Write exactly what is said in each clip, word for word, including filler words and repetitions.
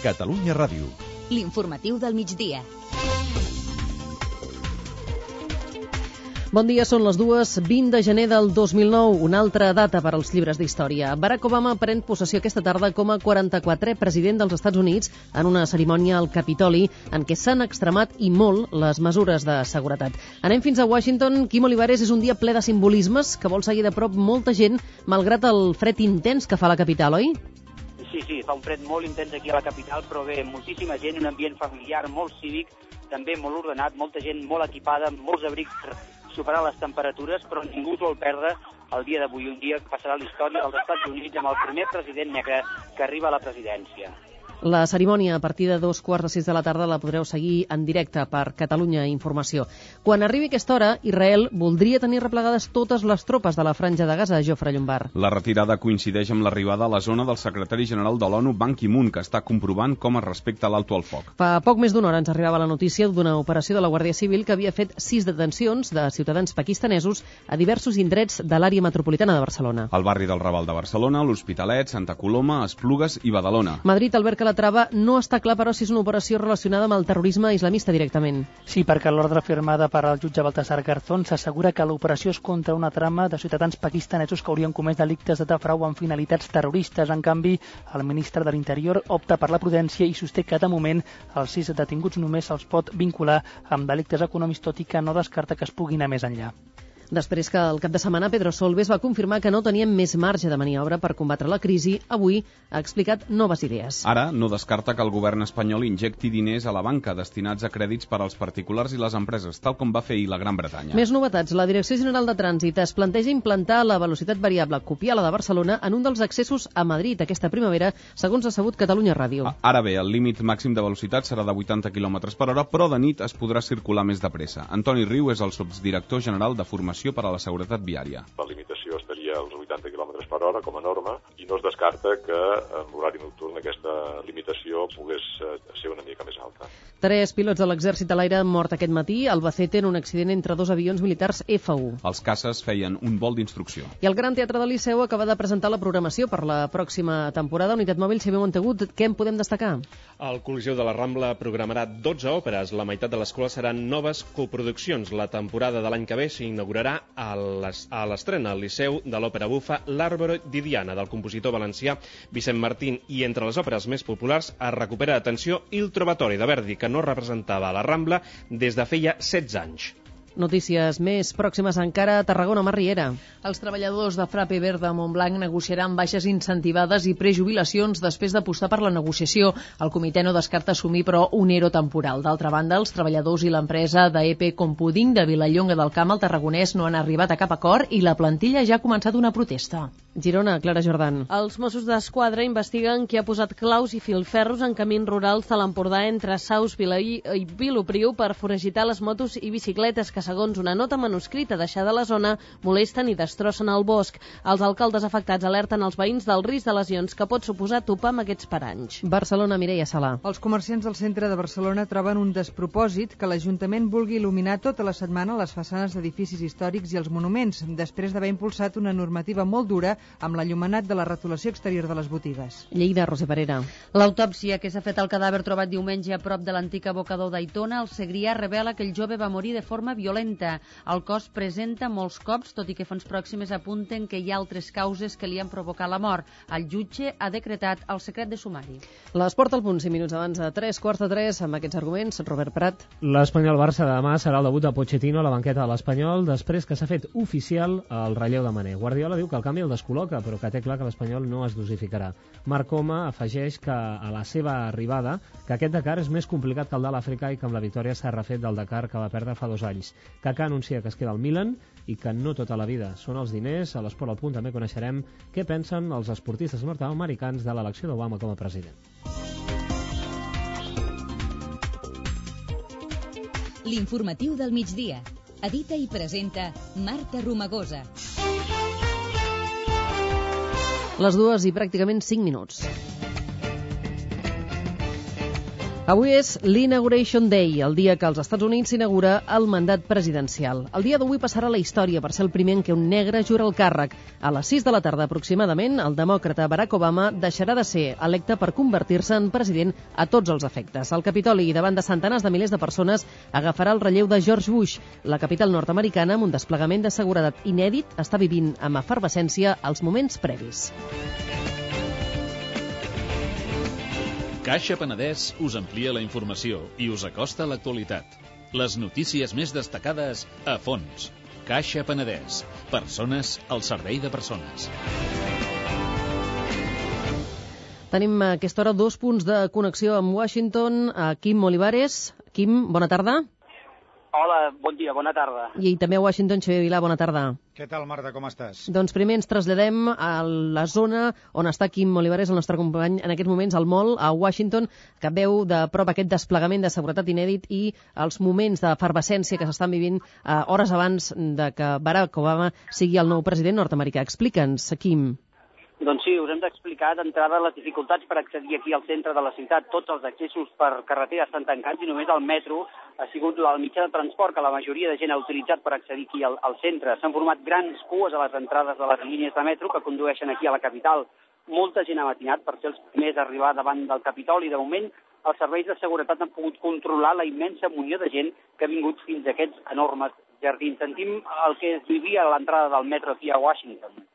Catalunya Ràdio. L'informatiu del migdia. Bon dia, són les dues, vint de gener del dos mil nou, una altra data per als llibres d'història. Barack Obama pren possessió aquesta tarda com a quaranta-quatrè president dels Estats Units en una cerimònia al Capitoli en què s'han extremat i molt les mesures de seguretat. Anem fins a Washington. Quim Olivares, és un dia ple de simbolismes que vol seguir de prop molta gent, malgrat el fred intens que fa la capital, oi? Sí, sí, fa un fred molt intens aquí a la capital, però bé, moltíssima gent, un ambient familiar molt cívic, també molt ordenat, molta gent molt equipada, molts abrics per superar les temperatures, però ningú vol perdre el dia d'avui, un dia que passarà a la història dels Estats Units amb el primer president negre que arriba a la presidència. La cerimònia a partir de dos quarts de sis de la tarda la podreu seguir en directe per Catalunya Informació. Quan arribi aquesta hora, Israel voldria tenir replegades totes les tropes de la franja de Gaza, Jofre Llombard. La retirada coincideix amb l'arribada a la zona del secretari general de l'ONU, Ban Ki-moon, que està comprovant com es respecta l'alto al foc. Fa poc més d'una hora ens arribava la notícia d'una operació de la Guàrdia Civil que havia fet sis detencions de ciutadans pakistanesos a diversos indrets de l'àrea metropolitana de Barcelona. Al barri del Raval de Barcelona, l'Hospitalet, Santa Coloma, Esplugues i Badalona. Madrid, Albert Calatrava, no està clar, però, si és una operació relacionada amb el terrorisme islamista directament. Sí, perquè l'ordre firmada per al jutge Baltasar Garzón s'assegura que l'operació és contra una trama de ciutadans pakistanesos que haurien comès delictes de frau amb finalitats terroristes. En canvi, el ministre de l'Interior opta per la prudència i sosté que, de moment, els sis detinguts només se'ls pot vincular amb delictes econòmics, tot i que no descarta que es pugui anar més enllà. Després que el cap de setmana Pedro Solbes va confirmar que no tenien més marge de maniobra per combatre la crisi, avui ha explicat noves idees. Ara no descarta que el govern espanyol injecti diners a la banca destinats a crèdits per als particulars i les empreses, tal com va fer ahir la Gran Bretanya. Més novetats. La Direcció General de Trànsit es planteja implantar la velocitat variable copiar la de Barcelona en un dels accessos a Madrid aquesta primavera, segons ha sabut Catalunya Ràdio. Ara bé, el límit màxim de velocitat serà de vuitanta quilòmetres per hora, però de nit es podrà circular més de pressa. Antoni Riu és el subdirector general de Formació per a la Seguretat Viària. La limitació estaria als vuitanta quilòmetres per hora com a norma i no es descarta que en l'horari nocturn aquesta limitació pogués ser una mica més alta. Tres pilots de l'exèrcit de l'aire han mort aquest matí a Albacete en un accident entre dos avions militars F u. Els caces feien un vol d'instrucció. I el Gran Teatre del Liceu acaba de presentar la programació per la pròxima temporada. Unitat Mòbil, Xavier Montegut, què en podem destcar? El Coliseu de la Rambla programarà dotze òperes. La meitat de les quals seran noves coproduccions. La temporada de l'any que ve s'inaugurarà a l'estrena al Liceu de l'òpera bufa L'Àrbore di Diana, del compositor valencià Vicent Martín, i entre les òperes més populars es recupera, atenció, Il Trovatore de Verdi, que no representava a la Rambla des de feia setze anys. Notícies més pròximes encara a Tarragona, Mar Riera. Els treballadors de Frappe Verde a Montblanc negociaran baixes incentivades i prejubilacions després d'apostar per la negociació. El comitè no descarta assumir, però, un ERO temporal. D'altra banda, els treballadors i l'empresa d'E P Compuding de Vilallonga del Camp al Tarragonès no han arribat a cap acord i la plantilla ja ha començat una protesta. Girona, Clara Jordan. Els Mossos d'Esquadra investiguen qui ha posat claus i filferros en camins rurals de l'Empordà entre Saus, Vilaí i Vilopriu per foragitar les motos i bicicletes que, segons una nota manuscrita deixada a la zona, molesten i destrossen el bosc. Els alcaldes afectats alerten els veïns del risc de lesions que pot suposar topar amb aquests paranys. Barcelona, Mireia Sala. Els comerciants del centre de Barcelona troben un despropòsit que l'Ajuntament vulgui il·luminar tota la setmana les façanes d'edificis històrics i els monuments, després d'haver impulsat una normativa molt dura amb l'enllumenat de la retolació exterior de les botigues. Lleida, Roser Parera. L'autòpsia que s'ha fet al cadàver trobat diumenge a prop de l'antic abocador d'Aitona, al Segrià, revela que el jove va morir de forma violenta. El cos presenta molts cops, tot i que fonts pròximes apunten que hi ha altres causes que li han provocat la mort. El jutge ha decretat el secret de sumari. L'Esport al punt, cinc minuts abans de tres quarts de tres, amb aquests arguments, Robert Prat. L'Espanyol-Barça de demà serà el debut de Pochettino a la banqueta de l'Espanyol, després que s'ha fet oficial el relleu de Mané. Guardiola diu que el canvi el descol·loca, però que té clar que l'Espanyol no es dosificarà. Marc Coma afegeix que a la seva arribada que aquest Dakar és més complicat que el de l'Àfrica i que amb la victòria s'ha refet del Dakar que va perdre fa dos anys. Kaká anuncia que es queda al Milan i que no tota la vida són els diners. A l'Esport al punt també coneixerem què pensen els esportistes nord-americans de l'elecció d'Obama com a president. L'informatiu del migdia. Edita i presenta Marta Romagosa. Les dues i pràcticament cinc minuts. Avui és l'Inauguration Day, el dia que als Estats Units s'inaugura el mandat presidencial. El dia d'avui passarà a la història per ser el primer en què un negre jura el càrrec. A les sis de la tarda aproximadament, el demòcrata Barack Obama deixarà de ser electe per convertir-se en president a tots els efectes. El Capitoli, davant de centenars de milers de persones, agafarà el relleu de George Bush. La capital nord-americana, amb un desplegament de seguretat inèdit, està vivint amb efervescència els moments previs. Caixa Penedès us amplia la informació i us acosta a l'actualitat. Les notícies més destacades a fons. Caixa Penedès. Persones al servei de persones. Tenim a aquesta hora dos punts de connexió amb Washington. A Quim Olivares. Quim, bona tarda. Hola, bon dia, bona tarda. I també a Washington, Xavier Vilà, bona tarda. Què tal, Marta, com estàs? Doncs primer ens traslladem a la zona on està Quim Olivares, el nostre company, en aquests moments al mall, a Washington, que veu de prop aquest desplegament de seguretat inèdit i els moments d'efervescència que s'estan vivint eh, hores abans de que Barack Obama sigui el nou president nord-americà. Explica'ns, Quim. Doncs sí, us hem d'explicar d'entrada les dificultats per accedir aquí al centre de la ciutat. Tots els accessos per carretera estan tancats i només el metro ha sigut el mitjà de transport que la majoria de gent ha utilitzat per accedir aquí al, al centre. S'han format grans cues a les entrades de les línies de metro que condueixen aquí a la capital. Molta gent ha matinat per ser els primers a arribar davant del Capitoli i de moment els serveis de seguretat han pogut controlar la immensa munió de gent que ha vingut fins a aquests enormes jardins. Sentim el que es vivia a l'entrada del metro aquí a Washington.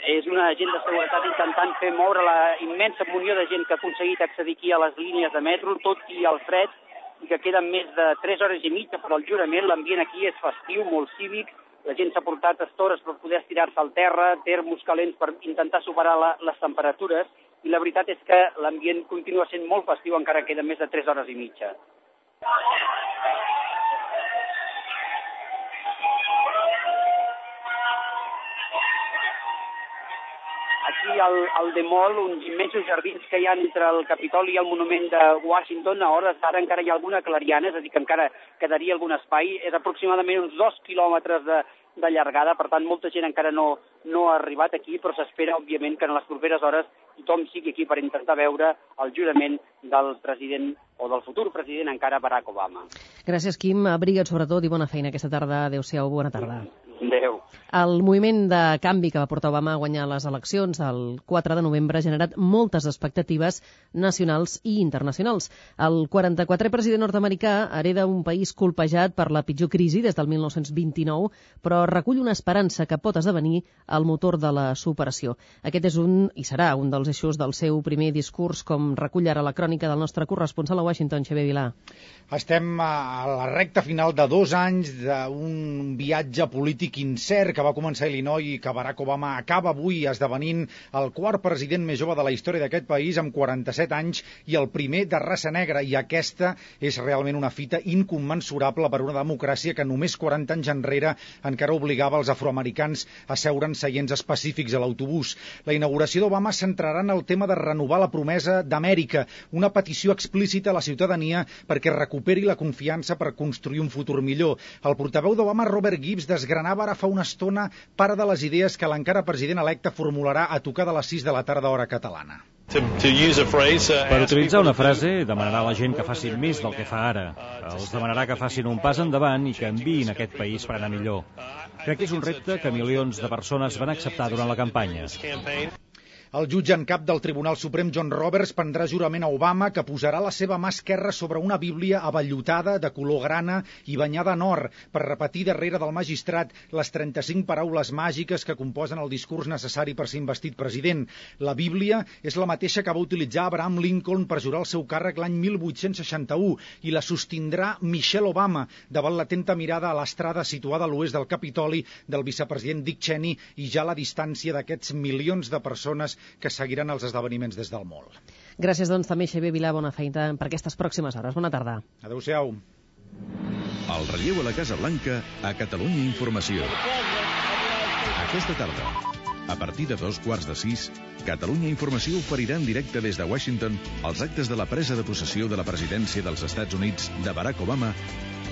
És una agent de seguretat intentant fer moure la immensa munió de gent que ha aconseguit accedir aquí a les línies de metro, tot i el fred, i que queden més de tres hores i mitja per al jurament. L'ambient aquí és festiu, molt cívic, la gent s'ha portat estores per poder estirar-se al terra, termos calents per intentar superar la, les temperatures, i la veritat és que l'ambient continua sent molt festiu, encara queden més de tres hores i mitja. Aquí al, al The Mall, uns immensos jardins que hi ha entre el Capitoli i el monument de Washington, a hores d'ara encara hi ha alguna clariana, és a dir, que encara quedaria algun espai. És aproximadament uns dos quilòmetres de, de llargada, per tant, molta gent encara no, no ha arribat aquí, però s'espera, òbviament, que en les properes hores tothom sigui aquí per intentar veure el jurament del president o del futur president encara Barack Obama. Gràcies, Quim. Abriga't sobretot i bona feina aquesta tarda. Adéu-siau, bona tarda. Adéu. El moviment de canvi que va portar Obama a guanyar les eleccions el quatre de novembre ha generat moltes expectatives nacionals i internacionals. El quaranta-quatrè president nord-americà hereda un país colpejat per la pitjor crisi des del mil nou-cents vint-i-nou, però recull una esperança que pot esdevenir el motor de la superació. Aquest és un, i serà un dels eixos del seu primer discurs, com recull ara la crònica del nostre corresponsal a Washington, Xavier Vilà. Estem a la recta final de dos anys d'un viatge polític incert que va començar a Illinois i que Barack Obama acaba avui esdevenint el quart president més jove de la història d'aquest país, amb quaranta-set anys, i el primer de raça negra. I aquesta és realment una fita incommensurable per una democràcia que només quaranta anys enrere encara obligava els afroamericans a seure en seients específics a l'autobús. La inauguració d'Obama centrarà en el tema de renovar la promesa d'Amèrica, una petició explícita a la ciutadania perquè recuperi la confiança per construir un futur millor. El portaveu d'Obama, Robert Gibbs, desgranava ara fa una estona part de les idees que l'encara president electe formularà a tocar de les sis de la tarda hora catalana. Per utilitzar una frase, demanarà a la gent que facin més del que fa ara. Els demanarà que facin un pas endavant i que enviïn aquest país per anar millor. Crec que és un repte que milions de persones van acceptar durant la campanya. El jutge en cap del Tribunal Suprem, John Roberts, prendrà jurament a Obama, que posarà la seva mà esquerra sobre una bíblia avellutada de color grana i banyada en or, per repetir darrere del magistrat les trenta-cinc paraules màgiques que composen el discurs necessari per ser investit president. La bíblia és la mateixa que va utilitzar Abraham Lincoln per jurar el seu càrrec l'any mil vuit-cents seixanta-u i la sostindrà Michelle Obama davant l'atenta mirada a l'estrada situada a l'oest del Capitoli del vicepresident Dick Cheney i ja a la distància d'aquests milions de persones que seguiran els esdeveniments des del mall. Gràcies, doncs, també, Xavier Vilà. Bona feina per aquestes pròximes hores. Bona tarda. Adéu-siau. El relleu a la Casa Blanca a Catalunya Informació. Aquesta tarda, a partir de dos quarts de sis, Catalunya Informació oferirà en directe des de Washington els actes de la presa de possessió de la presidència dels Estats Units de Barack Obama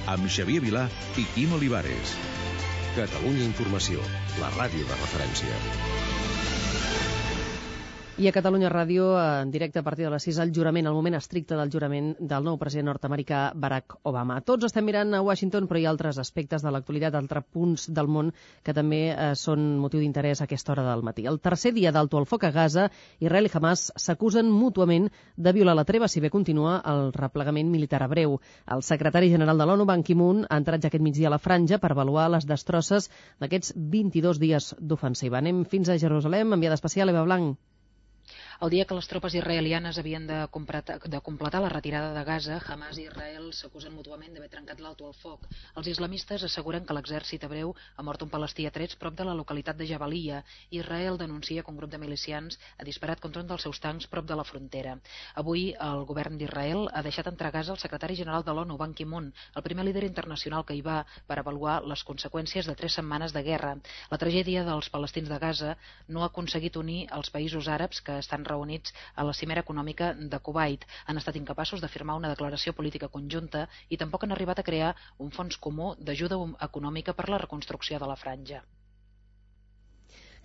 amb Xavier Vilà i Quim Olivares. Catalunya Informació, la ràdio de referència. I a Catalunya Ràdio, en directe a partir de les sis, el jurament, el moment estricte del jurament del nou president nord-americà Barack Obama. Tots estem mirant a Washington, però hi ha altres aspectes de l'actualitat, altres punts del món que també eh, són motiu d'interès a aquesta hora del matí. El tercer dia d'alto al foc a Gaza, Israel i Hamas s'acusen mútuament de violar la treva, si bé continua el replegament militar hebreu. El secretari general de l'ONU, Ban Ki-moon, ha entrat ja aquest migdia a la franja per avaluar les destrosses d'aquests vint-i-dos dies d'ofensiva. Anem fins a Jerusalem, enviada especial Eva Blanc. El dia que les tropes israelianes havien de completar, de completar la retirada de Gaza, Hamas i Israel s'acusen mútuament d'haver trencat l'alto al foc. Els islamistes asseguren que l'exèrcit hebreu ha mort un palestí a trets prop de la localitat de Jabalia. Israel denuncia que un grup de milicians ha disparat contra un dels seus tancs prop de la frontera. Avui el govern d'Israel ha deixat entrar a Gaza el secretari general de l'ONU, Ban Ki-moon, el primer líder internacional que hi va per avaluar les conseqüències de tres setmanes de guerra. La tragèdia dels palestins de Gaza no ha aconseguit unir els països àrabs que estan reunits a la cimera econòmica de Kuwait. Han estat incapaços de firmar una declaració política conjunta i tampoc han arribat a crear un fons comú d'ajuda econòmica per la reconstrucció de la franja.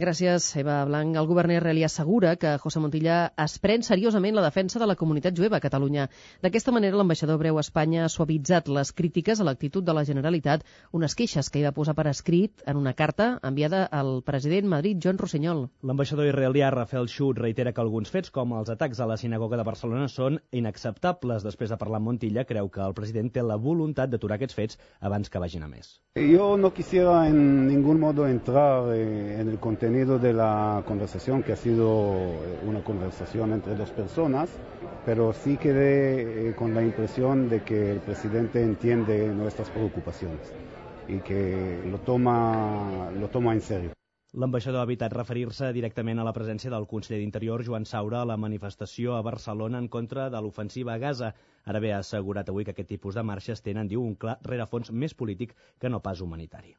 Gràcies, Eva Blanc. El govern israelí assegura que José Montilla es pren seriosament la defensa de la comunitat jueva a Catalunya. D'aquesta manera, l'ambaixador hebreu a Espanya ha suavitzat les crítiques a l'actitud de la Generalitat, unes queixes que hi va posar per escrit en una carta enviada al president Madrid, Joan Rossinyol. L'ambaixador israelià Rafael Schut reitera que alguns fets, com els atacs a la sinagoga de Barcelona, són inacceptables. Després de parlar amb Montilla, creu que el president té la voluntat d'aturar aquests fets abans que vagin a més. Yo no quisiera en ningún modo entrar en el contenido de la conversación, que ha sido una conversación entre dos personas, pero sí quedé con la impresión de que el presidente entiende nuestras preocupaciones y que lo toma, lo toma en serio. L'ambaixador ha evitat referir-se directament a la presència del conseller d'Interior, Joan Saura, a la manifestació a Barcelona en contra de l'ofensiva a Gaza. Ara bé, ha assegurat avui que aquest tipus de marxes tenen, diu, un clar rerefons més polític que no pas humanitari.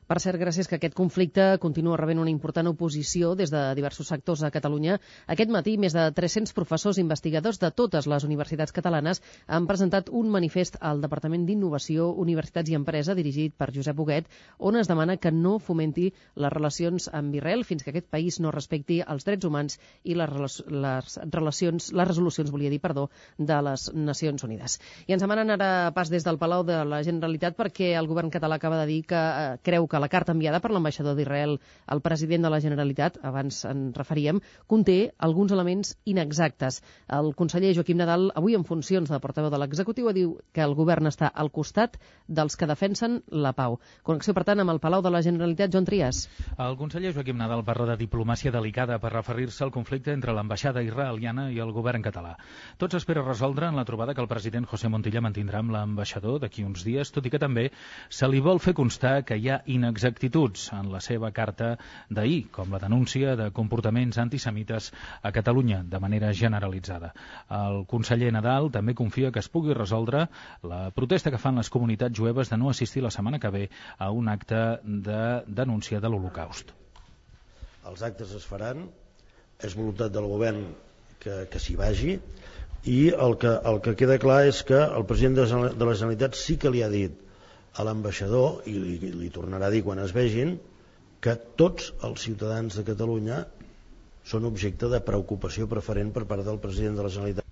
Per cert, gràcies que aquest conflicte continua rebent una important oposició des de diversos sectors a Catalunya. Aquest matí, més de tres-cents professors i investigadors de totes les universitats catalanes han presentat un manifest al Departament d'Innovació, Universitats i Empresa, dirigit per Josep Huguet, on es demana que no fomenti les relacions amb Israel fins que aquest país no respecti els drets humans i les, les relacions, les resolucions, volia dir, perdó, de les Nacions Unides. I ens demanen ara pas des del Palau de la Generalitat perquè el govern català acaba de dir que eh, creu que la carta enviada per l'ambaixador d'Israel al president de la Generalitat, abans en referíem, conté alguns elements inexactes. El conseller Joaquim Nadal, avui en funcions de portaveu de l'executiu, diu que el govern està al costat dels que defensen la pau. Connexió, per tant, amb el Palau de la Generalitat, Joan Trias. El conseller Joaquim Nadal parla de diplomàcia delicada per referir-se al conflicte entre l'ambaixada israeliana i el govern català. Tot s'espera resoldre en la trobada que el president José Montilla mantindrà amb l'ambaixador d'aquí uns dies, tot i que també se li vol fer constar que hi ha inexactituds en la seva carta d'ahir, com la denúncia de comportaments antisemites a Catalunya de manera generalitzada. El conseller Nadal també confia que es pugui resoldre la protesta que fan les comunitats jueves de no assistir la setmana que ve a un acte de denúncia de l'Holocaust. Els actes es faran, és voluntat del govern que, que s'hi vagi, i el que, el que queda clar és que el president de la Generalitat sí que li ha dit a l'ambaixador, i li, li tornarà a dir quan es vegin, que tots els ciutadans de Catalunya són objecte de preocupació preferent per part del president de la Generalitat.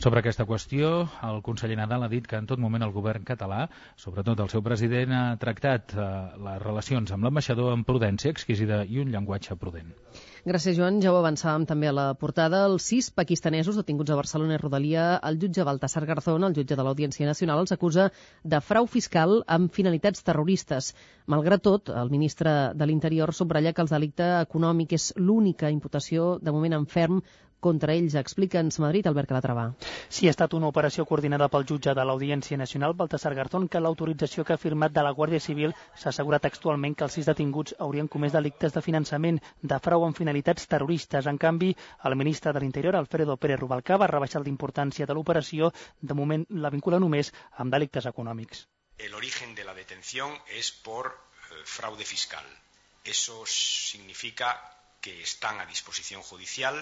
Sobre aquesta qüestió, el conseller Nadal ha dit que en tot moment el govern català, sobretot el seu president, ha tractat eh, les relacions amb l'ambaixador amb prudència exquisida i un llenguatge prudent. Gràcies, Joan. Ja ho avançàvem també a la portada. Els sis pakistanesos detinguts a Barcelona i Rodalia, el jutge Baltasar Garzón, el jutge de l'Audiència Nacional, els acusa de frau fiscal amb finalitats terroristes. Malgrat tot, el ministre de l'Interior subratlla que el delicte econòmic és l'única imputació de moment en ferm contra ells. Explica'ns, Madrid, Albert Calatrava. Sí, ha estat una operació coordinada pel jutge de l'Audiència Nacional, Baltasar Garzón, que l'autorització que ha firmat de la Guàrdia Civil s'assegura textualment que els sis detinguts haurien comès delictes de finançament, de frau amb finalitats terroristes. En canvi, el ministre de l'Interior, Alfredo Pérez Rubalcaba, ha rebaixat l'importància de l'operació. De moment la vincula només amb delictes econòmics. El origen de la detención es por eh, fraude fiscal. Eso significa que están a disposición judicial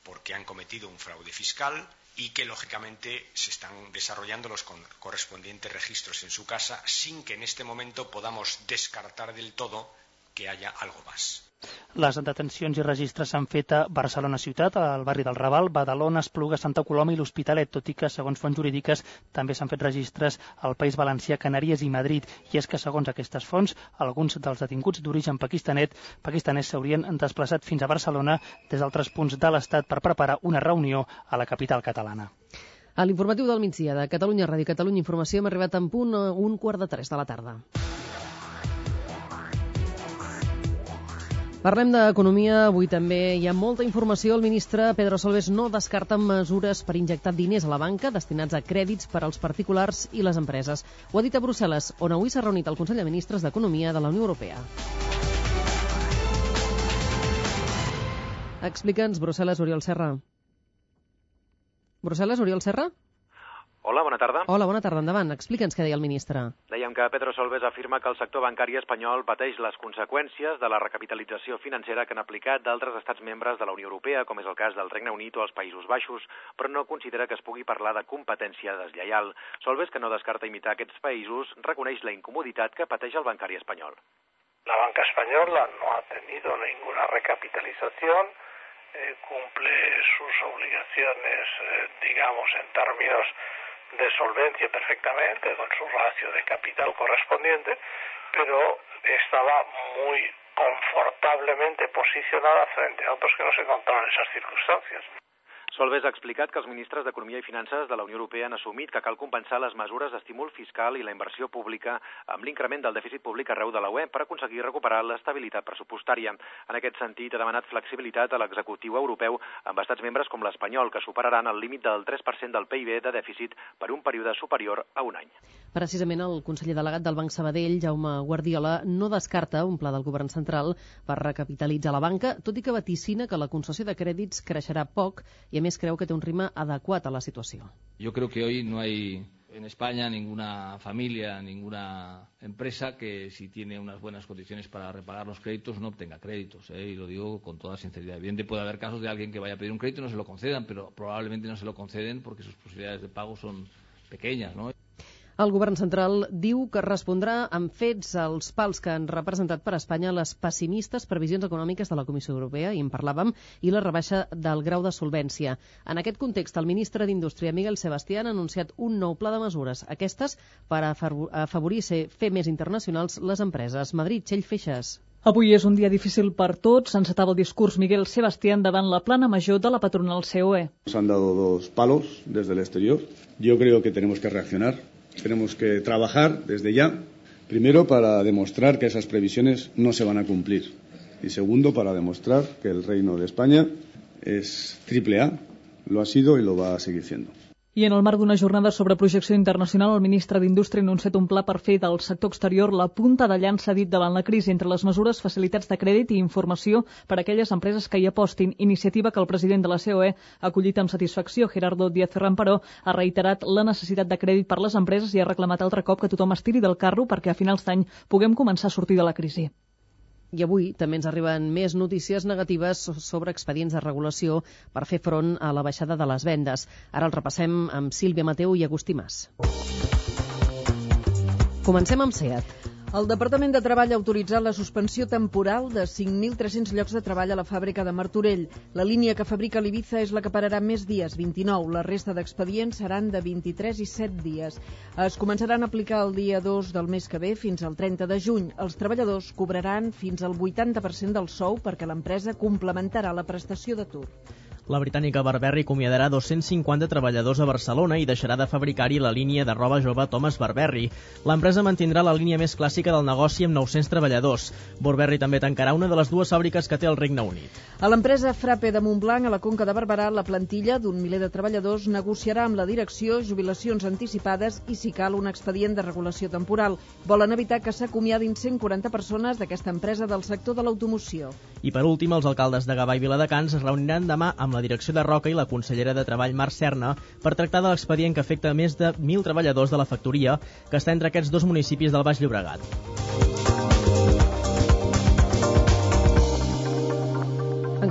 porque han cometido un fraude fiscal y que lógicamente se están desarrollando los correspondientes registros en su casa sin que en este momento podamos descartar del todo que haya algo más. Les detencions i registres s'han fet a Barcelona ciutat, al barri del Raval, Badalona, Espluga, Santa Coloma i l'Hospitalet, tot i que, segons fonts jurídiques, també s'han fet registres al País Valencià, Canàries i Madrid. I és que, segons aquestes fonts, alguns dels detinguts d'origen pakistanet pakistanès s'haurien desplaçat fins a Barcelona des d'altres punts de l'Estat per preparar una reunió a la capital catalana. A l'informatiu del migdia de Catalunya Ràdio i Catalunya Informació hem arribat en punt a un quart de tres de la tarda. Parlem d'economia, avui també hi ha molta informació. El ministre Pedro Solbes no descarta mesures per injectar diners a la banca destinats a crèdits per als particulars i les empreses. Ho ha dit a Brussel·les, on avui s'ha reunit el Consell de Ministres d'Economia de la Unió Europea. Explica'ns, Brussel·les, Oriol Serra. Brussel·les, Oriol Serra? Hola, bona tarda. Hola, bona tarda. Endavant. Explica'ns què deia el ministre. Dèiem que Pedro Solbes afirma que el sector bancari espanyol pateix les conseqüències de la recapitalització financera que han aplicat d'altres estats membres de la Unió Europea, com és el cas del Regne Unit o els Països Baixos, però no considera que es pugui parlar de competència deslleial. Solbes, que no descarta imitar aquests països, reconeix la incomoditat que pateix el bancari espanyol. La banca española no ha tenido ninguna recapitalización, eh, cumple sus obligaciones, eh, digamos, en términos de solvencia perfectamente, con su ratio de capital correspondiente, pero estaba muy confortablemente posicionada frente a otros que no se encontraban en esas circunstancias. Solbes ha explicat que els ministres d'Economia i Finances de la Unió Europea han assumit que cal compensar les mesures d'estímul fiscal i la inversió pública amb l'increment del dèficit públic arreu de la U E per aconseguir recuperar l'estabilitat pressupostària. En aquest sentit, ha demanat flexibilitat a l'executiu europeu amb estats membres com l'espanyol, que superaran el límit del tres per cent del P I B de dèficit per un període superior a un any. Precisament el conseller delegat del Banc Sabadell, Jaume Guardiola, no descarta un pla del govern central per recapitalitzar la banca, tot i que vaticina que la concessió de crèdits creixerà poc i a més creu que té un ritme adequat a la situació. Yo creo que hoy no hay en España ninguna familia, ninguna empresa que si tiene unas buenas condiciones para repagar los créditos no obtenga créditos, ¿eh? Y lo digo con toda sinceridad. Evidentemente puede haber casos de alguien que vaya a pedir un crédito y no se lo concedan, pero probablemente no se lo conceden porque sus posibilidades de pago son pequeñas, ¿no? El govern central diu que respondrà amb fets als pals que han representat per a Espanya les pessimistes previsions econòmiques de la Comissió Europea, i en parlàvem, i la rebaixa del grau de solvència. En aquest context, el ministre d'Indústria, Miguel Sebastián, ha anunciat un nou pla de mesures, aquestes per a afavorir fer més internacionals les empreses. Madrid, Txell Feixes. Avui és un dia difícil per tots. Encetava el discurs Miguel Sebastián davant la plana major de la patronal C O E. Nos han dado dos palos desde el exterior. Yo creo que tenemos que reaccionar. Tenemos que trabajar desde ya, primero para demostrar que esas previsiones no se van a cumplir y segundo para demostrar que el Reino de España es triple A, lo ha sido y lo va a seguir siendo. I en el marc d'una jornada sobre projecció internacional, el ministre d'Indústria ha anunciat un pla per fer del sector exterior la punta de llança dit davant la crisi. Entre les mesures, facilitats de crèdit i informació per a aquelles empreses que hi apostin, iniciativa que el president de la C O E ha acollit amb satisfacció. Gerardo Díaz Ferran, però, ha reiterat la necessitat de crèdit per les empreses i ha reclamat altre cop que tothom es tiri del carro perquè a finals d'any puguem començar a sortir de la crisi. I avui també ens arriben més notícies negatives sobre expedients de regulació per fer front a la baixada de les vendes. Ara el repassem amb Sílvia Mateu i Agustí Mas. Comencem amb SEAT. El Departament de Treball ha autoritzat la suspensió temporal de cinc mil tres-cents llocs de treball a la fàbrica de Martorell. La línia que fabrica l'Ibiza és la que pararà més dies, vint-i-nou. La resta d'expedients seran de vint-i-tres i set dies. Es començaran a aplicar el dia dos del mes que ve fins al trenta de juny. Els treballadors cobraran fins al vuitanta per cent del sou perquè l'empresa complementarà la prestació d'atur. La britànica Burberry acomiadarà dos-cents cinquanta treballadors a Barcelona i deixarà de fabricar-hi la línia de roba jove Thomas Burberry. L'empresa mantindrà la línia més clàssica del negoci amb nou-cents treballadors. Burberry també tancarà una de les dues fàbriques que té el Regne Unit. A l'empresa Frappe de Montblanc, a la Conca de Barberà, la plantilla d'un miler de treballadors negociarà amb la direcció jubilacions anticipades i, si cal, un expedient de regulació temporal. Volen evitar que s'acomiadin cent quaranta persones d'aquesta empresa del sector de l'automoció. I per últim, els alcaldes de Gavà i Viladecans es reuniran demà amb la direcció de Roca i la consellera de Treball Mar Serna per tractar de l'expedient que afecta més de mil treballadors de la factoria que està entre aquests dos municipis del Baix Llobregat.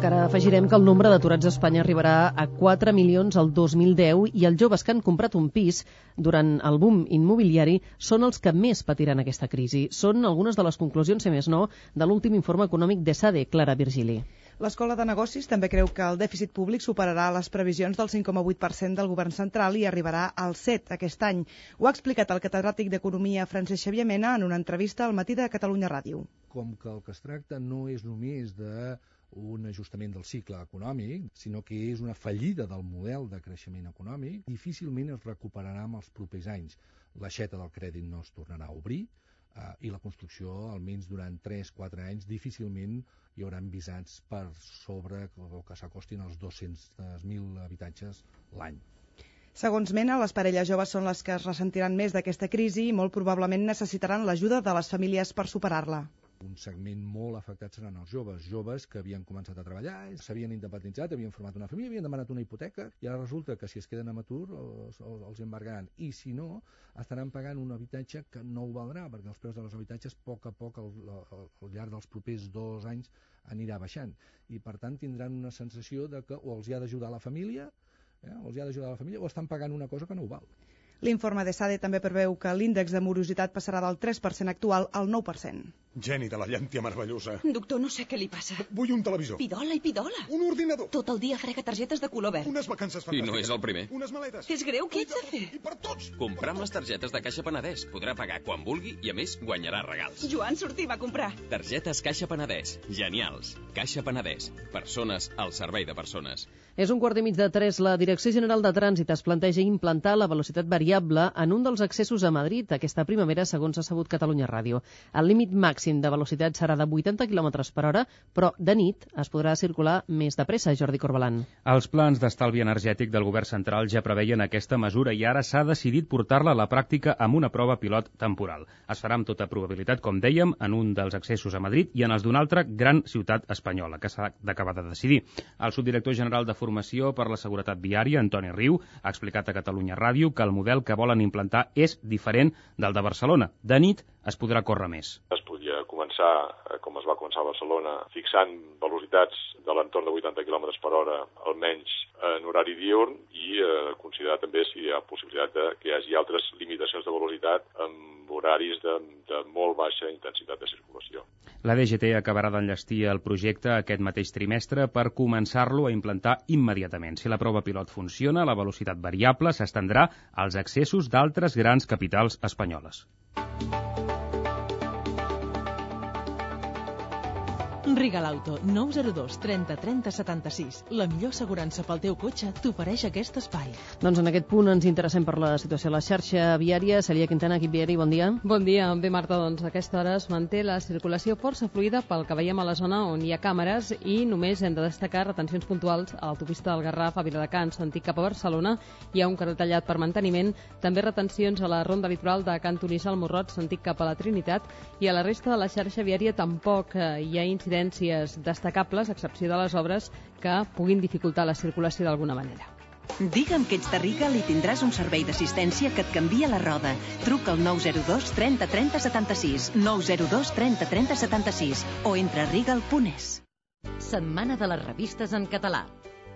Encara afegirem que el nombre d'aturats a Espanya arribarà a quatre milions el dos mil deu i els joves que han comprat un pis durant el boom immobiliari són els que més patiran aquesta crisi. Són algunes de les conclusions, si més no, de l'últim informe econòmic d'ESADE, Clara Virgili. L'Escola de Negocis també creu que el dèficit públic superarà les previsions del cinc coma vuit per cent del govern central i arribarà al set per cent aquest any. Ho ha explicat el catedràtic d'Economia Francesc Xavier Mena en una entrevista al Matí de Catalunya Ràdio. Com que el que es tracta no és només d'un ajustament del cicle econòmic, sinó que és una fallida del model de creixement econòmic, difícilment es recuperarà en els propers anys. L'aixeta del crèdit no es tornarà a obrir, Uh, i la construcció, almenys durant tres a quatre anys, difícilment hi haurà visats per sobre o que s'acostin als dos-cents mil habitatges l'any. Segons Mena, les parelles joves són les que es ressentiran més d'aquesta crisi i molt probablement necessitaran l'ajuda de les famílies per superar-la. Un segment molt afectat seran els joves, joves que havien començat a treballar, s'havien independitzat, havien format una família, havien demanat una hipoteca i ara resulta que si es queden amb atur els, els embargaran i si no estaran pagant un habitatge que no ho valdrà perquè els preus dels habitatges a poc a poc al, al, al llarg dels propers dos anys anirà baixant i per tant tindran una sensació de que o els hi ha d'ajudar la família eh, o els hi ha d'ajudar la família o estan pagant una cosa que no ho val. L'informe d'ESADE també preveu que l'índex de morositat passarà del tres per cent actual al nou per cent. Geni de la llàntia meravellosa. Doctor, no sé què li passa. Vull un televisor. Pidola i pidola. Un ordinador. Tot el dia frega targetes de color verd. Unes vacances fantàstiques. I no és el primer. Unes maletes. És greu, què ets de fer? I per tots. Comprar amb les targetes de Caixa Penedès. Podrà pagar quan vulgui i, a més, guanyarà regals. Joan sortim a comprar. Targetes Caixa Penedès. Genials. Caixa Penedès. Persones al servei de persones. És un quart i mig de tres. La Direcció General de Trànsit es planteja implantar la velocitat variable en un dels accessos a Madrid aquesta primavera, segons ha sabut Catalunya Ràdio. El límit màxim de velocitat serà de vuitanta quilòmetres per hora, però de nit es podrà circular més de pressa, Jordi Corbalan. Els plans d'estalvi energètic del govern central ja preveien aquesta mesura i ara s'ha decidit portar-la a la pràctica amb una prova pilot temporal. Es farà amb tota probabilitat, com dèiem, en un dels accessos a Madrid i en els d'una altra gran ciutat espanyola, que s'ha d'acabar de decidir. El subdirector general de Formació per la Seguretat Viària, Antoni Riu, ha explicat a Catalunya Ràdio que el model que volen implantar és diferent del de Barcelona. De nit es podrà córrer més. Es podia començar, com es va començar a Barcelona, fixant velocitats de l'entorn de vuitanta quilòmetres per hora, almenys en horari diürn, i eh, considerar també si hi ha possibilitat de que hi hagi altres limitacions de velocitat amb horaris de, de molt baixa intensitat de circulació. La D G T acabarà d'enllestir el projecte aquest mateix trimestre per començar-lo a implantar immediatament. Si la prova pilot funciona, la velocitat variable s'estendrà als accessos d'altres grans capitals espanyoles. Rigal Auto, nou zero dos trenta trenta setanta-sis. La millor assegurança pel teu cotxe t'ofereix aquest espai. Doncs en aquest punt ens interessem per la situació a la xarxa viària. Celia Quintana, equip viari, bon dia. Bon dia. Bé, Marta, doncs a aquesta hora es manté la circulació força fluida pel que veiem a la zona on hi ha càmeres i només hem de destacar retencions puntuals a l'autopista del Garraf a Viladecans, sentit cap a Barcelona. Hi ha un carrer tallat per manteniment. També retencions a la ronda litoral de Can Tonís al Morrot, sentit cap a la Trinitat. I a la resta de la xarxa viària tampoc hi ha incidències destacables, a excepció de les obres que puguin dificultar la circulació d'alguna manera. Digue'm que ets de Rigal i tindràs un servei d'assistència que et canvia la roda. Truca al nou zero dos trenta trenta setanta-sis, nou zero dos trenta trenta setanta-sis o entra a rigal punt es. Setmana de les revistes en català.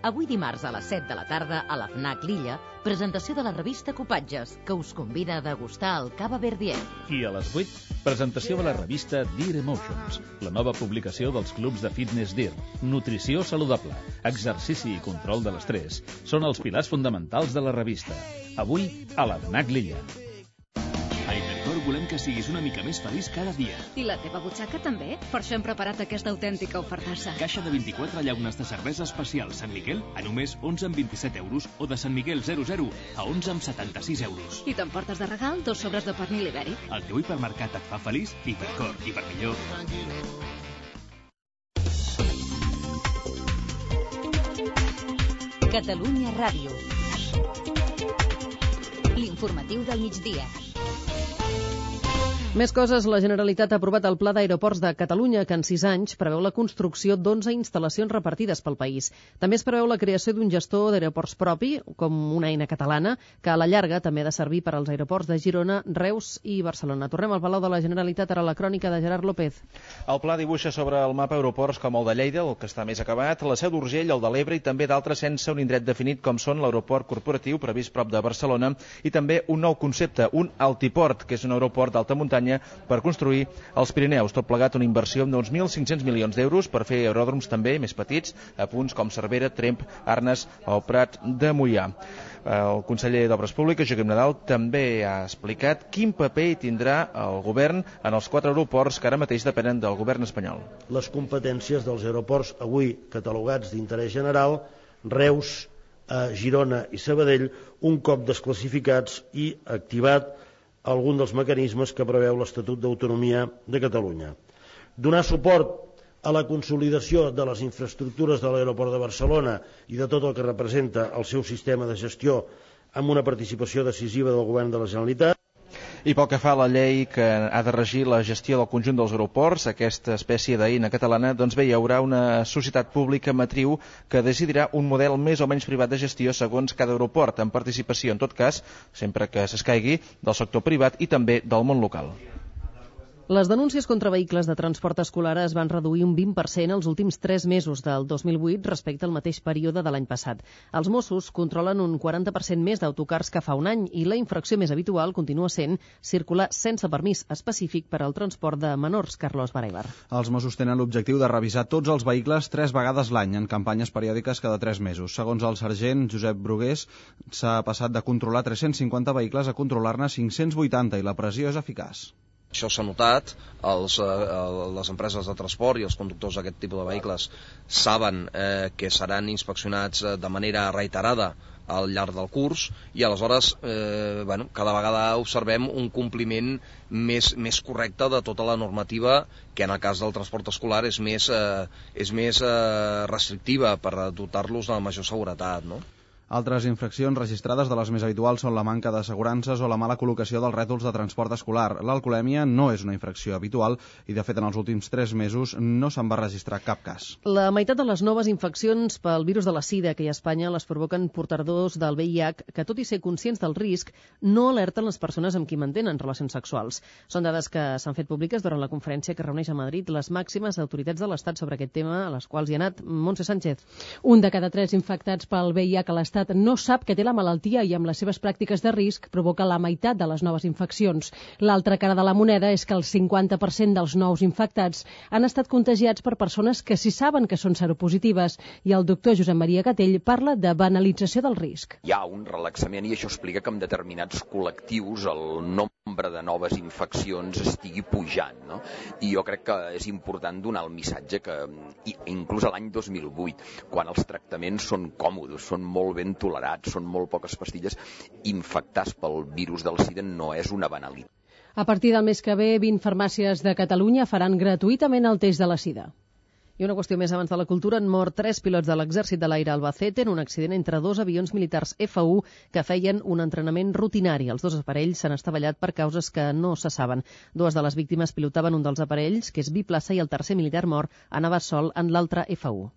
Avui dimarts a les set de la tarda a la FNAC Lilla, presentació de la revista Copatges, que us convida a degustar el cava Verdier. I a les vuit, presentació de la revista Dear Emotions, la nova publicació dels clubs de fitness Dear. Nutrició saludable, exercici i control de l'estrès són els pilars fonamentals de la revista. Avui a la FNAC Lilla. A Hipercor volem que siguis una mica més feliç cada dia. I la teva butxaca també? Per això hem preparat aquesta autèntica ofertassa. Caixa de vint-i-quatre llaunes de cervesa especial Sant Miquel a només onze amb vint-i-set euros o de Sant Miquel zero zero a onze amb setanta-sis euros. I t'emportes de regal dos sobres de pernil ibèric. El teu hipermercat et fa feliç? Hipercor, i per millor. Catalunya Ràdio. L'informatiu del migdia. Més coses, la Generalitat ha aprovat el Pla d'Aeroports de Catalunya, que en sis anys preveu la construcció d'onze instal·lacions repartides pel país. També es preveu la creació d'un gestor d'aeroports propi, com una eina catalana, que a la llarga també ha de servir per als aeroports de Girona, Reus i Barcelona. Tornem al Palau de la Generalitat, ara la crònica de Gerard López. El pla dibuixa sobre el mapa aeroports com el de Lleida, el que està més acabat, la Seu d'Urgell, el de l'Ebre i també d'altres sense un indret definit com són l'aeroport corporatiu previst prop de Barcelona i també un nou concepte, un altiport, que és un aeroport d'alta muntanya per construir els Pirineus. Tot plegat una inversió d'uns mil cinc-cents milions d'euros per fer aeròdroms també més petits a punts com Cervera, Tremp, Arnes o Prat de Moià. El conseller d'Obres Públiques, Joaquim Nadal, també ha explicat quin paper hi tindrà el govern en els quatre aeroports que ara mateix depenen del govern espanyol. Les competències dels aeroports avui catalogats d'interès general, Reus, Girona i Sabadell, un cop desclassificats i activat algun dels mecanismes que preveu l'Estatut d'Autonomia de Catalunya. Donar suport a la consolidació de les infraestructures de l'aeroport de Barcelona i de tot el que representa el seu sistema de gestió amb una participació decisiva del govern de la Generalitat. I pel que fa a la llei que ha de regir la gestió del conjunt dels aeroports, aquesta espècie d'eina catalana, doncs bé, hi haurà una societat pública matriu que decidirà un model més o menys privat de gestió segons cada aeroport, amb participació, en tot cas, sempre que s'escaigui, del sector privat i també del món local. Les denúncies contra vehicles de transport escolar es van reduir un vint per cent els últims tres mesos del dos mil vuit respecte al mateix període de l'any passat. Els Mossos controlen un quaranta per cent més d'autocars que fa un any i la infracció més habitual continua sent circular sense permís específic per al transport de menors. Carlos Baraibar. Els Mossos tenen l'objectiu de revisar tots els vehicles tres vegades l'any en campanyes periòdiques cada tres mesos. Segons el sergent Josep Brugués, s'ha passat de controlar tres-cents cinquanta vehicles a controlar-ne cinc-cents vuitanta i la pressió és eficaç. Això s'ha notat, els, eh, les empreses de transport i els conductors d'aquest tipus de vehicles saben eh, que seran inspeccionats de manera reiterada al llarg del curs i aleshores eh, bueno, cada vegada observem un compliment més, més correcte de tota la normativa que en el cas del transport escolar és més, eh, és més eh, restrictiva per dotar-los de major seguretat, no? Altres infraccions registrades de les més habituals són la manca d'assegurances o la mala col·locació dels rètols de transport escolar. L'alcoholèmia no és una infracció habitual i, de fet, en els últims tres mesos no se'n va registrar cap cas. La meitat de les noves infeccions pel virus de la sida que hi ha a Espanya les provoquen portadors del V I H que, tot i ser conscients del risc, no alerten les persones amb qui mantenen relacions sexuals. Són dades que s'han fet públiques durant la conferència que reuneix a Madrid les màximes autoritats de l'Estat sobre aquest tema, a les quals hi ha anat Montse Sánchez. Un de cada tres infectats pel V I H a l'Estat no sap que té la malaltia i amb les seves pràctiques de risc provoca la meitat de les noves infeccions. L'altra cara de la moneda és que el cinquanta per cent dels nous infectats han estat contagiats per persones que sí saben que són seropositives i el doctor Josep Maria Gatell parla de banalització del risc. Hi ha un relaxament i això explica que en determinats col·lectius el nombre de noves infeccions estigui pujant, no? I jo crec que és important donar el missatge que inclús a l'any dos mil vuit, quan els tractaments són còmodes, són molt ben tolerats, són molt poques pastilles, infectats pel virus del SIDA no és una banalitat. A partir del mes que ve, vint farmàcies de Catalunya faran gratuïtament el test de la sida. I una qüestió més abans de la cultura, han mort tres pilots de l'exèrcit de l'aire a Albacete en un accident entre dos avions militars F u que feien un entrenament rutinari. Els dos aparells s'han estavellat per causes que no se saben. Dues de les víctimes pilotaven un dels aparells, que és biplaça, i el tercer militar mort anava sol en l'altre F u.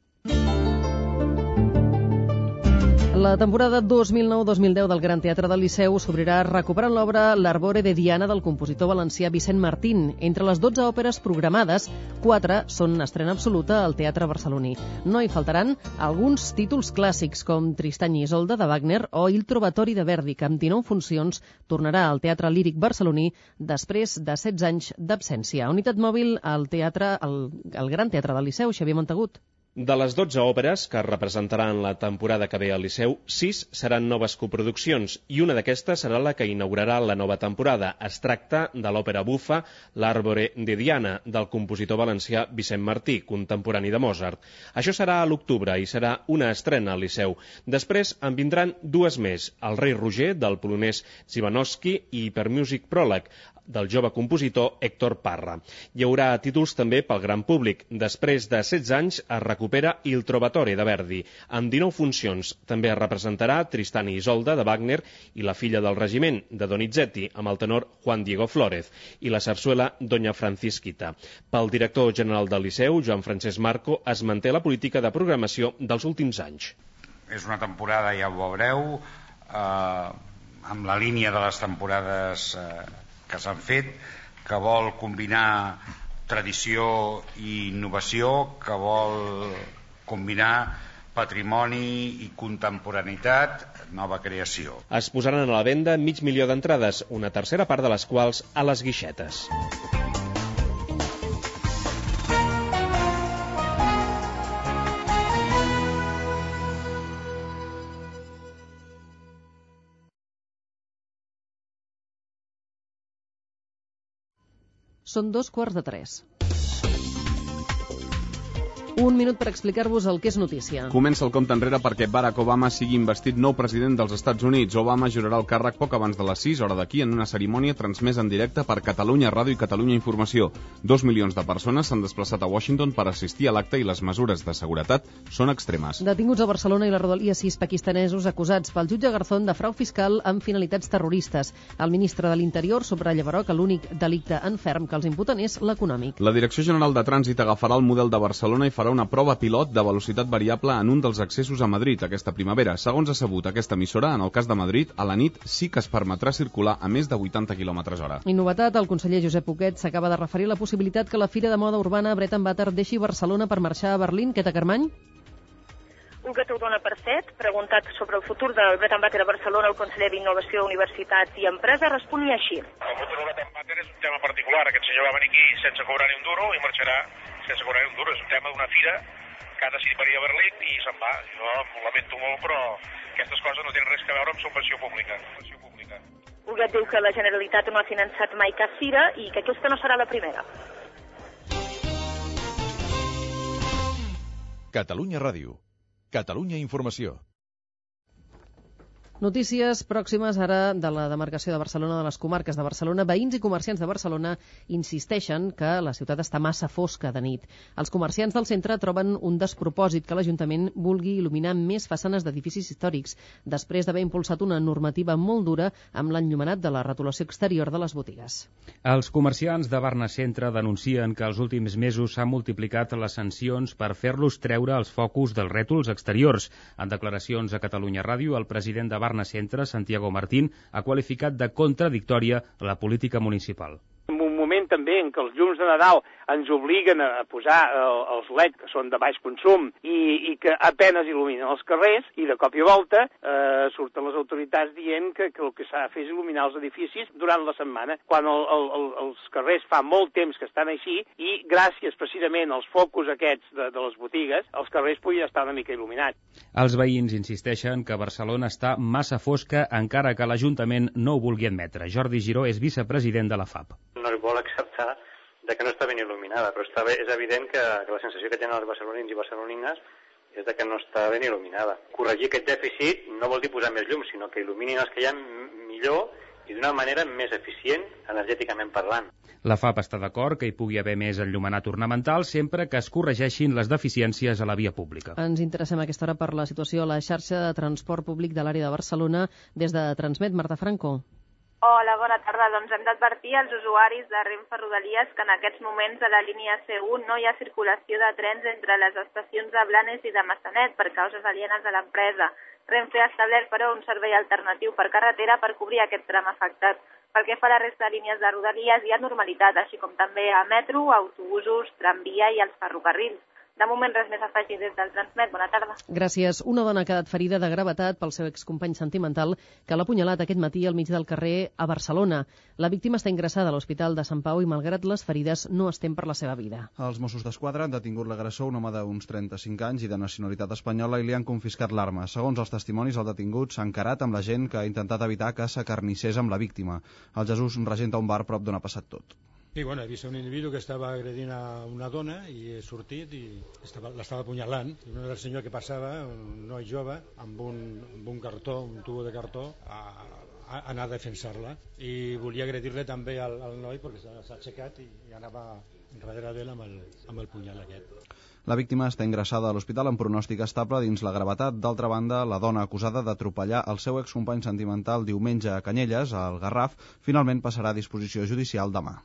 La temporada dos mil nou dos mil deu del Gran Teatre del Liceu s'obrirà recuperant l'obra L'Arbore de Diana del compositor valencià Vicent Martín. Entre les dotze òperes programades, quatre són estrena absoluta al Teatre Barceloní. No hi faltaran alguns títols clàssics com Tristany i Isolda de Wagner o Il Trovatori de Verdi, que amb dinou funcions tornarà al Teatre Líric Barceloní després de setze anys d'absència. Unitat mòbil al teatre, al, al Gran Teatre del Liceu, Xavier Montagut. De les dotze òperes que representaran la temporada que ve al Liceu, sis seran noves coproduccions i una d'aquestes serà la que inaugurarà la nova temporada. Es tracta de l'òpera bufa L'Arbore de Diana, del compositor valencià Vicent Martí, contemporani de Mozart. Això serà a l'octubre i serà una estrena al Liceu. Després en vindran dues més, El rei Roger, del polonès Zimanowski, i Hypermusic Pròleg, del jove compositor Héctor Parra. Hi haurà títols també pel gran públic. Després de setze anys es recupera recupera Il Trovatore de Verdi. Amb dinou funcions també es representarà Tristán i Isolda de Wagner i La filla del regiment de Donizetti amb el tenor Juan Diego Flórez i la sarsuela Doña Francisquita. Pel director general del Liceu, Joan Francesc Marco, es manté la política de programació dels últims anys. És una temporada, ja ho veureu, eh, amb la línia de les temporades eh, que s'han fet, que vol combinar tradició i innovació, que vol combinar patrimoni i contemporaneïtat, nova creació. Es posaran a la venda mig milió d'entrades, una tercera part de les quals a les guixetes. Són dos quarts de tres. Un minut per explicar-vos el que és notícia. Comença el compte enrere perquè Barack Obama sigui investit nou president dels Estats Units. Obama jurarà el càrrec poc abans de les sis, hora d'aquí, en una cerimònia transmesa en directe per Catalunya Ràdio i Catalunya Informació. Dos milions de persones s'han desplaçat a Washington per assistir a l'acte i les mesures de seguretat són extremes. Detinguts a Barcelona i la Rodalia sis pakistanesos acusats pel jutge Garzón de frau fiscal amb finalitats terroristes. El ministre de l'Interior subratlla, però, que l'únic delicte en ferm que els imputen és l'econòmic. La Direcció General de Trànsit agafarà el model de Barcelona i farà una prova pilot de velocitat variable en un dels accessos a Madrid aquesta primavera. Segons ha sabut aquesta emissora, en el cas de Madrid, a la nit sí que es permetrà circular a més de vuitanta quilòmetres hora. I novetat, el conseller Josep Huguet s'acaba de referir a la possibilitat que la Fira de Moda Urbana Bread and Butter deixi Barcelona per marxar a Berlín. Queta Carmany? Huguet ho dona per fet. Preguntat sobre el futur del Bread and Butter a Barcelona, el conseller d'Innovació, Universitat i Empresa responia així. El futur del Bread and Butter és un tema particular. Aquest senyor va venir aquí sense cobrar ni un duro i marxarà sense cobrar ni un duro. És un tema d'una fira que ha decidit venir a Berlín i se'n va. Jo ho lamento molt, però aquestes coses no tenen res a veure amb subvenció pública. Subvenció pública. Huguet diu que la Generalitat no ha finançat mai cap fira i que aquesta no serà la primera. Catalunya Ràdio. Catalunya Informació. Notícies pròximes ara de la demarcació de Barcelona, de les comarques de Barcelona. Veïns i comerciants de Barcelona insisteixen que la ciutat està massa fosca de nit. Els comerciants del centre troben un despropòsit que l'Ajuntament vulgui il·luminar més façanes d'edificis històrics, després d'haver impulsat una normativa molt dura amb l'enllumenat de la retolació exterior de les botigues. Els comerciants de Barna Centre denuncien que els últims mesos s'han multiplicat les sancions per fer-los treure els focus dels rètols exteriors. En declaracions a Catalunya Ràdio, el president de Barna Centre, Santiago Martín, ha qualificat de contradictòria la política municipal. En un moment també en què els llums de Nadal ens obliguen a posar els L E D, que són de baix consum, i, i que apenes il·luminen els carrers, i de cop i volta eh, surten les autoritats dient que, que el que s'ha de fer és il·luminar els edificis durant la setmana, quan el, el, el, els carrers fa molt temps que estan així, i gràcies precisament als focus aquests de, de les botigues, els carrers puguin estar una mica il·luminats. Els veïns insisteixen que Barcelona està massa fosca, encara que l'Ajuntament no ho vulgui admetre. Jordi Giró és vicepresident de la F A P. No es vol acceptar de que no està ben il·luminada, però està bé, és evident que, que la sensació que tenen els barcelonins i barcelonines és de que no està ben il·luminada. Corregir aquest dèficit no vol dir posar més llum, sinó que il·luminin els que hi ha millor i d'una manera més eficient, energèticament parlant. La F A P està d'acord que hi pugui haver més enllumenat ornamental sempre que es corregeixin les deficiències a la via pública. Ens interessem a aquesta hora per la situació a la xarxa de transport públic de l'àrea de Barcelona. Des de Transmet, Marta Franco. Hola, bona tarda. Doncs hem d'advertir als usuaris de Renfe Rodalies que en aquests moments a la línia C u no hi ha circulació de trens entre les estacions de Blanes i de Massanet per causes alienes a l'empresa. Renfe ha establert, però, un servei alternatiu per carretera per cobrir aquest tram afectat. Pel que fa a la resta de línies de Rodalies hi ha normalitat, així com també a metro, autobusos, tramvia i els ferrocarrils. De moment res més a afegir des del Transmet. Bona tarda. Gràcies. Una dona ha quedat ferida de gravetat pel seu excompany sentimental que l'ha apunyalat aquest matí al mig del carrer a Barcelona. La víctima està ingressada a l'Hospital de Sant Pau i, malgrat les ferides, no es tem per la seva vida. Els Mossos d'Esquadra han detingut l'agressor, un home d'uns trenta-cinc anys i de nacionalitat espanyola, i li han confiscat l'arma. Segons els testimonis, el detingut s'ha encarat amb la gent que ha intentat evitar que s'acarnissés amb la víctima. El Jesús regenta un bar prop d'on ha passat tot. Sí, bueno, he vist un individu que estava agredint a una dona i he sortit i l'estava apunyalant. I un senyor que passava, un noi jove, amb un, amb un cartó, un tubo de cartó, a, a anar a defensar-la. I volia agredir-le també al, al noi perquè s'ha aixecat i, i anava darrere d'ell amb el, amb el punyal aquest. La víctima està ingressada a l'hospital amb pronòstic estable dins la gravetat. D'altra banda, la dona acusada d'atropellar el seu excompany sentimental diumenge a Canyelles, al Garraf, finalment passarà a disposició judicial demà.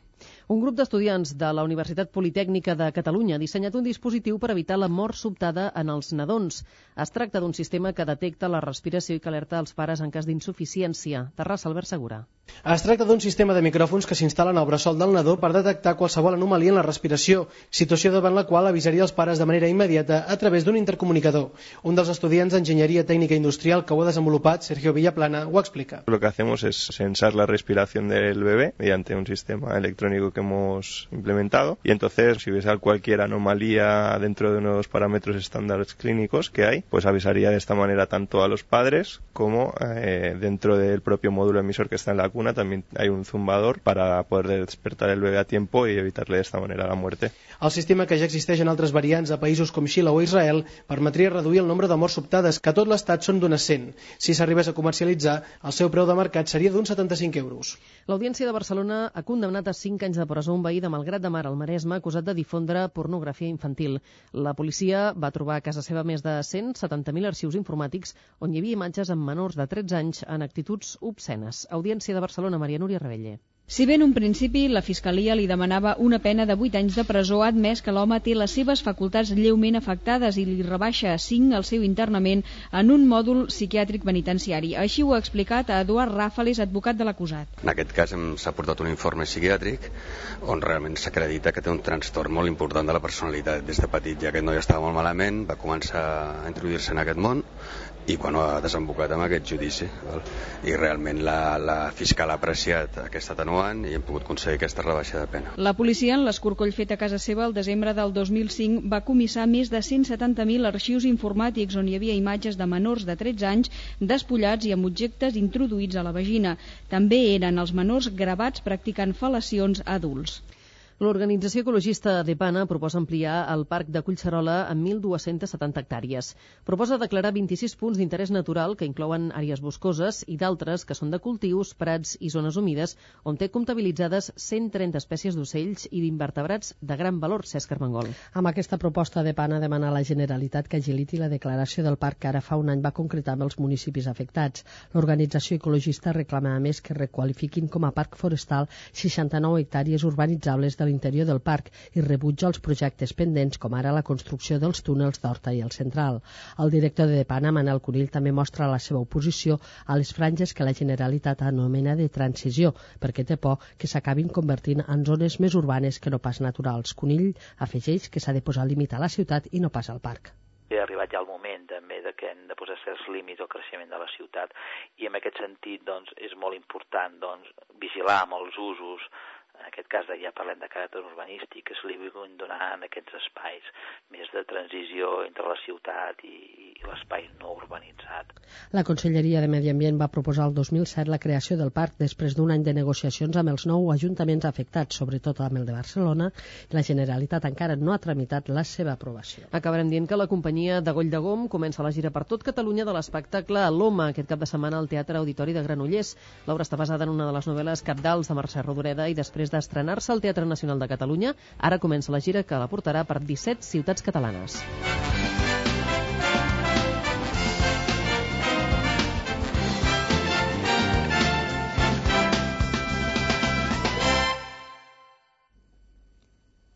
Un grup d'estudiants de la Universitat Politècnica de Catalunya ha dissenyat un dispositiu per evitar la mort sobtada en els nadons. Es tracta d'un sistema que detecta la respiració i que alerta els pares en cas d'insuficiència. Terrassa, Albert Segura. Es tracta d'un sistema de micròfons que s'instal·len al bressol del nadó per detectar qualsevol anomalia en la respiració, situació davant la qual avisaria els pares de manera immediata a través d'un intercomunicador. Un dels estudiants d'Enginyeria Tècnica Industrial que ho ha desenvolupat, Sergio Villaplana, ho explica. Lo que hacemos es sensar la respiración del bebé mediante un sistema electrónico que hemos implementado, y entonces si hubiese cualquier anomalía dentro de unos parámetros estándares clínicos que hay, pues avisaría de esta manera tanto a los padres como eh, dentro del propio módulo emisor que está en la cuna también hay un zumbador para poder despertar el bebé a tiempo y evitarle de esta manera la muerte. El sistema, que ja existeix en altres variants a països com Xile o Israel, permetria reduir el nombre de morts sobtades, que a tot l'estat són d'unes cent. Si s'arribés a comercialitzar, el seu preu de mercat seria d'uns setanta-cinc euros. L'Audiència de Barcelona ha condemnat a cinc anys de presó un veí de Malgrat de Mar, al Maresme, acusat de difondre pornografia infantil. La policia va trobar a casa seva més de cent setanta mil arxius informàtics on hi havia imatges amb menors de tretze anys en actituds obscenes. Audiència de Barcelona, Maria Núria Rebelle. Si bé en un principi la Fiscalia li demanava una pena de vuit anys de presó, ha admès que l'home té les seves facultats lleument afectades i li rebaixa a cinc el seu internament en un mòdul psiquiàtric penitenciari. Així ho ha explicat a Eduard Ràfales, advocat de l'acusat. En aquest cas s'ha portat un informe psiquiàtric on realment s'acredita que té un trastorn molt important de la personalitat. Des de petit ja aquest noi estava molt malament, va començar a introduir-se en aquest món i bueno, ha desembocat amb aquest judici. Val? I realment la, la fiscal ha apreciat aquest atenuant i hem pogut aconseguir aquesta rebaixa de pena. La policia, en l'escorcoll fet a casa seva el desembre del dos mil cinc, va comissar més de cent setanta mil arxius informàtics on hi havia imatges de menors de tretze anys despullats i amb objectes introduïts a la vagina. També eren els menors gravats practicant fel·lacions a adults. L'organització ecologista Depana proposa ampliar el parc de Collserola amb mil dues-centes setanta hectàrees. Proposa declarar vint-i-sis punts d'interès natural que inclouen àrees boscoses i d'altres que són de cultius, prats i zones humides on té comptabilitzades cent trenta espècies d'ocells i d'invertebrats de gran valor. Cesc Armengol. Amb aquesta proposta Depana demana a la Generalitat que agiliti la declaració del parc que ara fa un any va concretar amb els municipis afectats. L'organització ecologista reclama a més que requalifiquin com a parc forestal seixanta-nou hectàrees urbanitzables de l'interior del parc i rebutja els projectes pendents com ara la construcció dels túnels d'Horta i el Central. El director de Depana, Manel Conill, també mostra la seva oposició a les franges que la Generalitat anomena de transició, perquè té por que s'acabin convertint en zones més urbanes que no pas naturals. Conill afegeix que s'ha de posar límit a la ciutat i no pas al parc. Ha arribat ja el moment també de que hem de posar certs límits al creixement de la ciutat i en aquest sentit doncs, és molt important doncs, vigilar amb els usos. En aquest cas ja parlem de caràcter urbanístic, que se li vulguin donar en aquests espais més de transició entre la ciutat i, i l'espai no urbanitzat. La Conselleria de Medi Ambient va proposar el dos mil set la creació del parc després d'un any de negociacions amb els nou ajuntaments afectats, sobretot amb el de Barcelona, i la Generalitat encara no ha tramitat la seva aprovació. Acabarem dient que la companyia de Goll de Gom comença la gira per tot Catalunya de l'espectacle L'Home, aquest cap de setmana al Teatre Auditori de Granollers. L'obra està basada en una de les novel·les cabdals de Mercè Rodoreda i després d'estrenar-se al Teatre Nacional de Catalunya, ara comença la gira que la portarà per disset ciutats catalanes.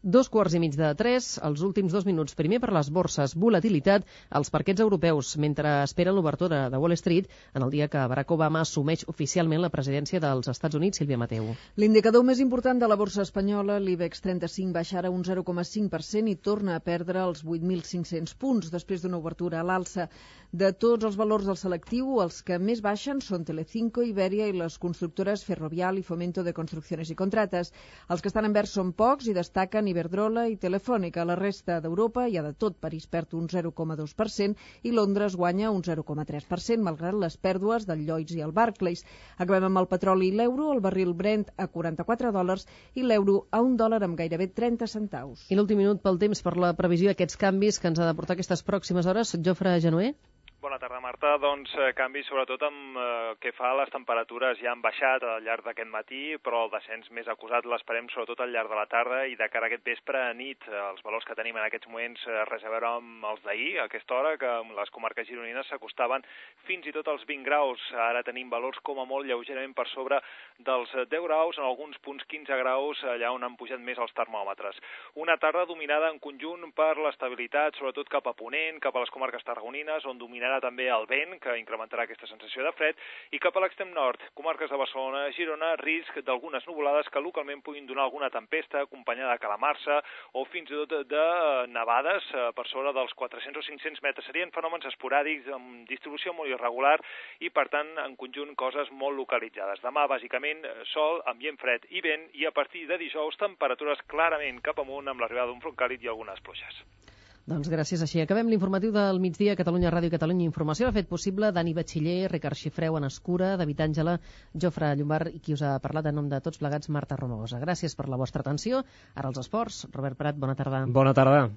Dos quarts i mig de tres, els últims dos minuts. Primer per les borses, volatilitat als parquets europeus mentre esperen l'obertura de Wall Street en el dia que Barack Obama assumeix oficialment la presidència dels Estats Units. Sílvia Mateu. L'indicador més important de la borsa espanyola, l'IBEX trenta-cinc, baixa ara un zero coma cinc per cent i torna a perdre els vuit mil cinc-cents punts després d'una obertura a l'alça. De tots els valors del selectiu, els que més baixen són Telecinco, Iberia i les constructores Ferrovial i Fomento de Construcciones i Contrates. Els que estan en verd són pocs i destaquen Iberdrola i Telefònica. La resta d'Europa hi ha de tot. París perd un zero coma dos per cent i Londres guanya un zero coma tres per cent, malgrat les pèrdues del Lloyds i el Barclays. Acabem amb el petroli i l'euro, el barril Brent a quaranta-quatre dòlars i l'euro a un dòlar amb gairebé trenta centaus. I l'últim minut pel temps per la previsió d'aquests canvis que ens ha de portar aquestes pròximes hores, Jofre Genoé. Bona tarda, Marta. Doncs eh, canvi sobretot amb eh, que fa les temperatures ja han baixat al llarg d'aquest matí, però el descens més acusat l'esperem sobretot al llarg de la tarda i de cara a aquest vespre a nit. Els valors que tenim en aquests moments eh, res a veure amb els d'ahir, a aquesta hora, que les comarques gironines s'acostaven fins i tot als vint graus. Ara tenim valors com a molt lleugerament per sobre dels deu graus, en alguns punts quinze graus, allà on han pujat més els termòmetres. Una tarda dominada en conjunt per l'estabilitat, sobretot cap a Ponent, cap a les comarques tarragonines, on dominarà també el vent, que incrementarà aquesta sensació de fred, i cap a l'extrem nord, comarques de Barcelona, Girona, risc d'algunes nuvolades que localment puguin donar alguna tempesta acompanyada de calamarsa o fins i tot de nevades per sobre dels quatre-cents o cinc-cents metres. Serien fenòmens esporàdics amb distribució molt irregular i, per tant, en conjunt, coses molt localitzades. Demà, bàsicament, sol, ambient fred i vent, i a partir de dijous, temperatures clarament cap amunt amb l'arribada d'un front càlid i algunes pluges. Doncs gràcies, així acabem l'informatiu del migdia. Catalunya Ràdio i Catalunya Informació. Ha fet possible Dani Batxiller, Ricard Xifreu, Anna Escura, David Àngela, Jofre Llombard i qui us ha parlat en nom de tots plegats, Marta Romagosa. Gràcies per la vostra atenció. Ara els esports. Robert Prat, bona tarda. Bona tarda.